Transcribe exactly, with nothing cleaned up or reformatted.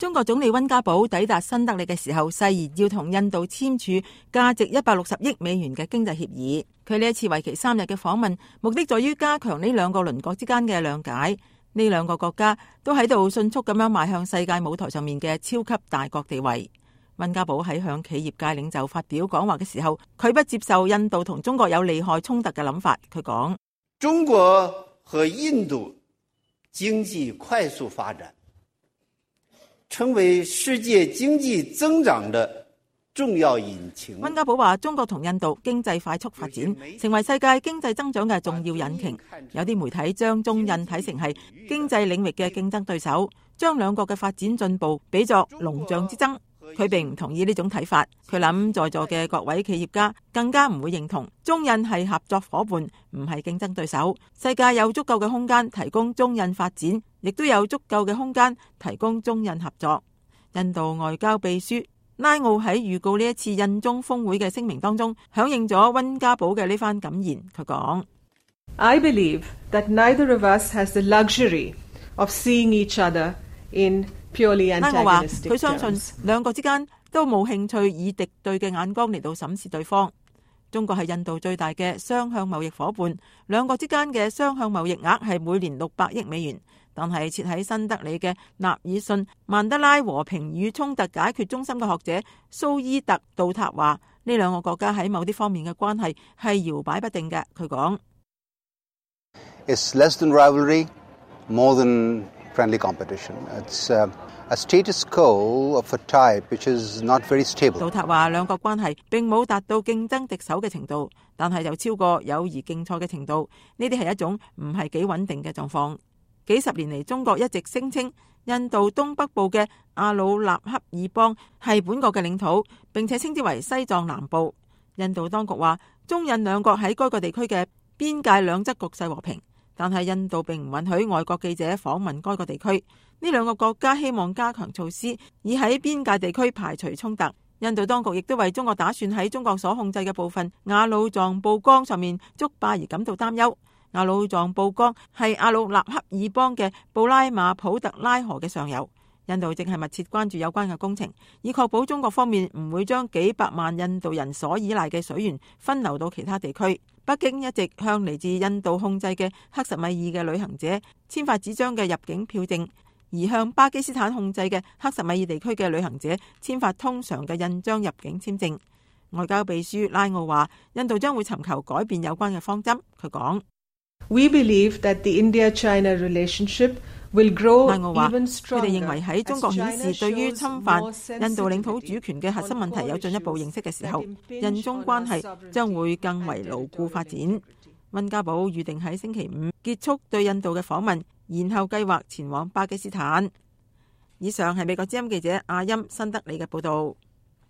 中國總理溫家寶抵達新德里嘅時候，誓言要同印度簽署價值一百六十億美元嘅經濟協議。佢呢一次為期三日嘅訪問，目的在於加強呢兩個鄰國之間嘅諒解。呢兩個國家都喺度迅速咁樣邁向世界舞台上面嘅超級大國地位。溫家寶喺向企業界領袖發表講話嘅時候，佢不接受印度同中國有利害衝突嘅諗法。佢講：中國和印度經濟快速發展，成為世界經濟增長的重要引擎。溫家寶話：中國同印度經濟快速發展，成為世界經濟增長嘅重要引擎。有啲媒體將中印睇成係經濟領域嘅競爭對手，將兩國嘅發展進步比作龍象之爭。佢並唔同意呢種睇法。佢諗在座嘅各位企業家更加唔會認同中印係合作夥伴，唔係競爭對手。世界有足夠嘅空間提供中印發展，亦都有足夠嘅空間提供中印合作。印度外交秘書拉奧喺預告呢一次印中峰會嘅聲明當中，響應咗溫家寶嘅呢番感言。佢講：I believe that neither of us has the luxury of seeing each other in拉我話佢相信兩國之間都冇興趣以敵對嘅眼光嚟到審視對方。中國係印度最大嘅雙向貿易夥伴，兩國之間嘅雙向貿易額係每年六百億美元。但係設喺新德里嘅納爾遜曼德拉和平與衝突解決中心嘅學者蘇伊特杜塔話：呢兩個國家喺某啲方面嘅關係係搖擺不定嘅。佢講：It's less than rivalry, more than friendly competition. It's uh, a status quo of a type which is not very stable. 杜塔話兩國關係並冇達到競爭敵手嘅程度，但係就超過友誼競賽嘅程度。呢啲係一種唔係幾穩定嘅狀況。幾十年嚟，中國一直聲稱印度東北部嘅阿魯納克爾邦係本國嘅領土，並且稱之為西藏南部。印度當局話中印兩國喺該個地區嘅邊界兩側局勢和平，但係印度並唔允許外國記者訪問該個地區。呢兩個國家希望加強措施，以喺邊界地區排除衝突。印度當局亦都為中國打算喺中國所控制嘅部分雅魯藏布江上面築壩而感到擔憂。雅魯藏布江係阿魯納克爾邦嘅布拉馬普特拉河嘅上游。印度正係密切關注有關嘅工程，以確保中國方面唔會將幾百萬印度人所依賴嘅水源分流到其他地區。北京一直向嚟自印度控制嘅克什米爾嘅旅行者簽發紙張嘅入境票證，而向巴基斯坦控制嘅克什米爾地區嘅旅行者簽發通常嘅印章入境簽證。外交秘書拉奧話：印度將會尋求改變有關嘅方針。佢講：We believe that the India-China relationship will grow even stronger. 佢哋認為喺中國顯示對於侵犯印度領土主權嘅核心問題有進一步認識嘅時候，印中關係將會更為牢固發展。溫家寶預定喺星期五結束對印度嘅訪問，然後計劃前往巴基斯坦。以上係美國之音記者阿欽新德里嘅報道。